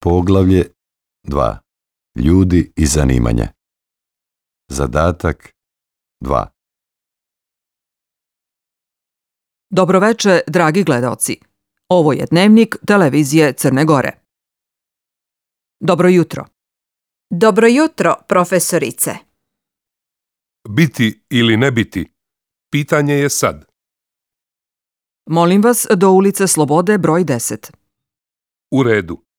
Poglavlje 2. Ljudi i zanimanja. Zadatak 2. Dobroveče, dragi gledaoci. Ovo je dnevnik televizije Crne Gore. Dobro jutro. Dobro jutro, profesorice. Biti ili ne biti, pitanje je sad. Molim vas do ulice Slobode broj 10. U redu.